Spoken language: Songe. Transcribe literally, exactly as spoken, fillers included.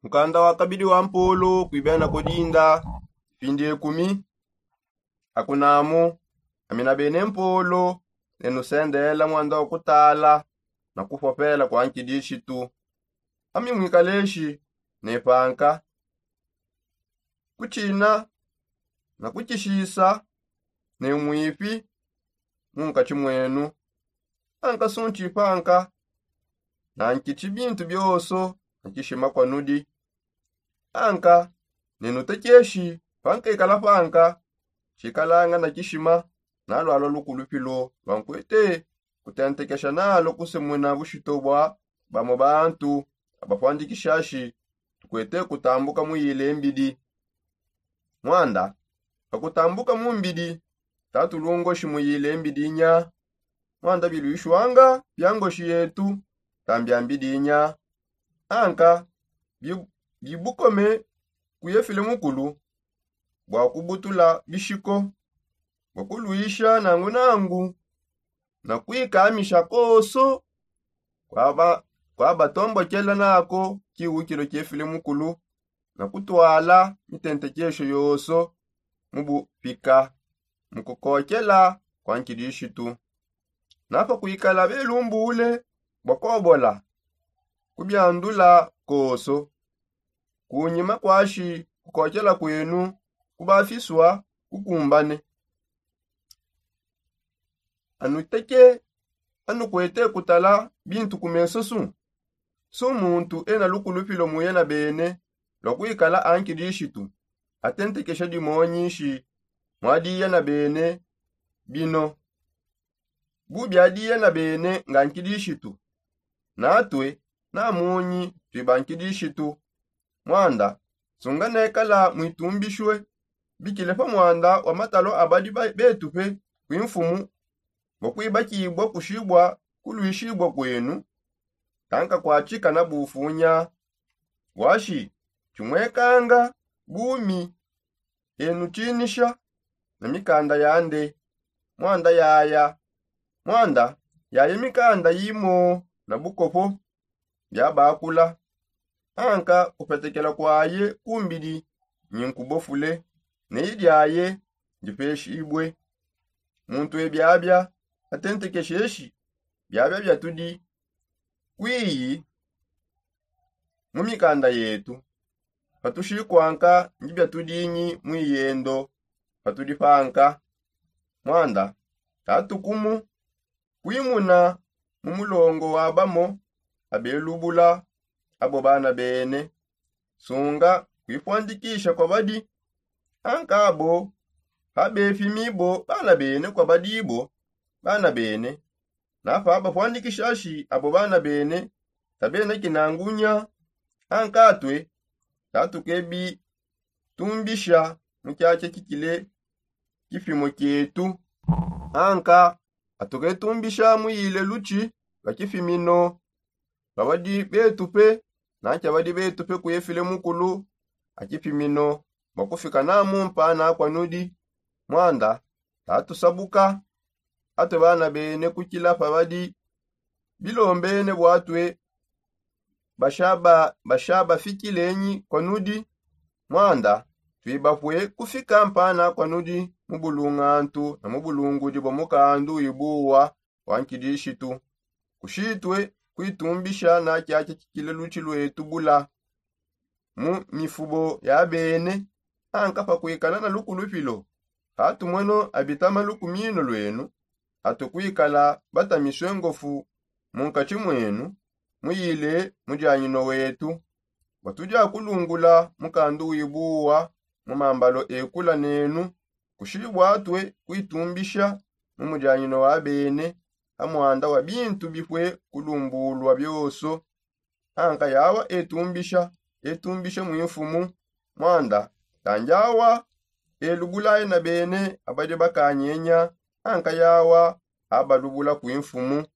Mukanda wa kabidi wa mpolo kuibena kudinda, pindi ekumi. Akunamu, ami na bene mpolo, ne nusendela mwanda wa kutala na kupopela kwa nkidishitu. Ami mwikaleshi ne panka, kutshina na kutshishisa ne mwipi mu nkatshi mwenu. Anka suntshi panka, na nkitshi bintu bionso na tshishima kwa nudi. Anka ne nutekeshi pankekala panka, tshikalanga na tshishima na lwalwa lukulupilo lwa nkwete kutentekesha nalo kusemuna bushito bwa bamo bantu abapwandikishashi tukwete kutambuka muyile mbidi. Mwanda pakutambuka mu mbidi, tatulungoshi muyile mbidi nya. Mwanda bilwishwanga bya ngoshi yetu tambya mbidi nya. Anka bi- bibukome kuyefile mukulu bwa kubutula bishiko, bwa kulwisha nangu nangu na kwikamisha koso kwaba kwabatombokela nako kiwukilo kyefile mukulu na kutwala mitentekesho yoso mu bupika mu kukokela kwa nkidishitu. Napa kwikala belumbule bwa kobola kubyandula koso kunyima kwashi kukokela kwenu kubafiswa kukumbane. Anuteke anukwete kutala bintu ku meso su su muntu ena lukulupilo mu yena bene lwa kwikala ankidishitu atentekesha dimonyishi mwadi yena bene bino bu byadi yena bene nga nkidishitu. Natwe na munyi twiba nkidishitu. Mwanda sunga nekala mwitumbishwe bikile pa mwanda wa matalo abadi betupe kwimfumu bwa kwibakibwa kushibwa kulwishibwa kwenu. Tanka kwatshika na bufunya bwashi tshimwekanga bumi enu tshinisha na mikanda yande. Mwanda yaya mwanda yaya mikanda yimo na bukopo byabakula. Anka kupetekela kwaye kumbidi nyinkubofule ne idyaye ndipeshibwe. Muntu ebyabya atentekesheshi byabya byatudi kwiyi mu mikanda yetu. Patushikwanga ndi byatudinyi mwiyendo patudi panka. Mwanda tatukumu kwimuna mu mulongo wa bamo abelubula abo bana bene. Sunga kwipwandikisha kwa badi anka abo pabefimi bo bana bene kwa badi bo bana bene. Napa bapwandikishashi abo bana bene tabena kinangunya. Anka atwe tatukebitumbisha mu kyakya kikile kipimo kyetu. Anka atuketumbisha muyile lutshi lwa kipimino lwa badi betupe na kya badi betupe kuyefile mukulu a kipimino bwa kufika na mumpa na kwa nudi. Mwanda tatusabuka atwe bana bene kukila pa badi bilombene bwatwe bashaba bashaba fikilenyi kwa nudi. Mwanda twibapwe kufika mpana kwa nudi mu bulungantu na mu bulungudi bwa mukandu wibuwa wa nkidishitu. Kushitwe kwitumbisha na kyakya kikile lutshi lwetu bula mu mifubo ya bene. Anka pa kwikala na lukulupilo hatumweno abitama lukumino lwenu atukwikala batamiswe ngofu mu nkatshi mwenu muyile mudianyino wetu. Bwa tudia kulungula mukandu wibuwa mu mambalo ekula nenu kushibwatwe kwitumbisha mu mudianyino wa bene ha mwanda wa bintu bipwe kulumbulwa bioso. Anka yawa etumbisha etumbisha mwimfumu. Mwanda tanjawa elubulaye na bene abadi bakanyenya anka yawa abalubula kwimfumu.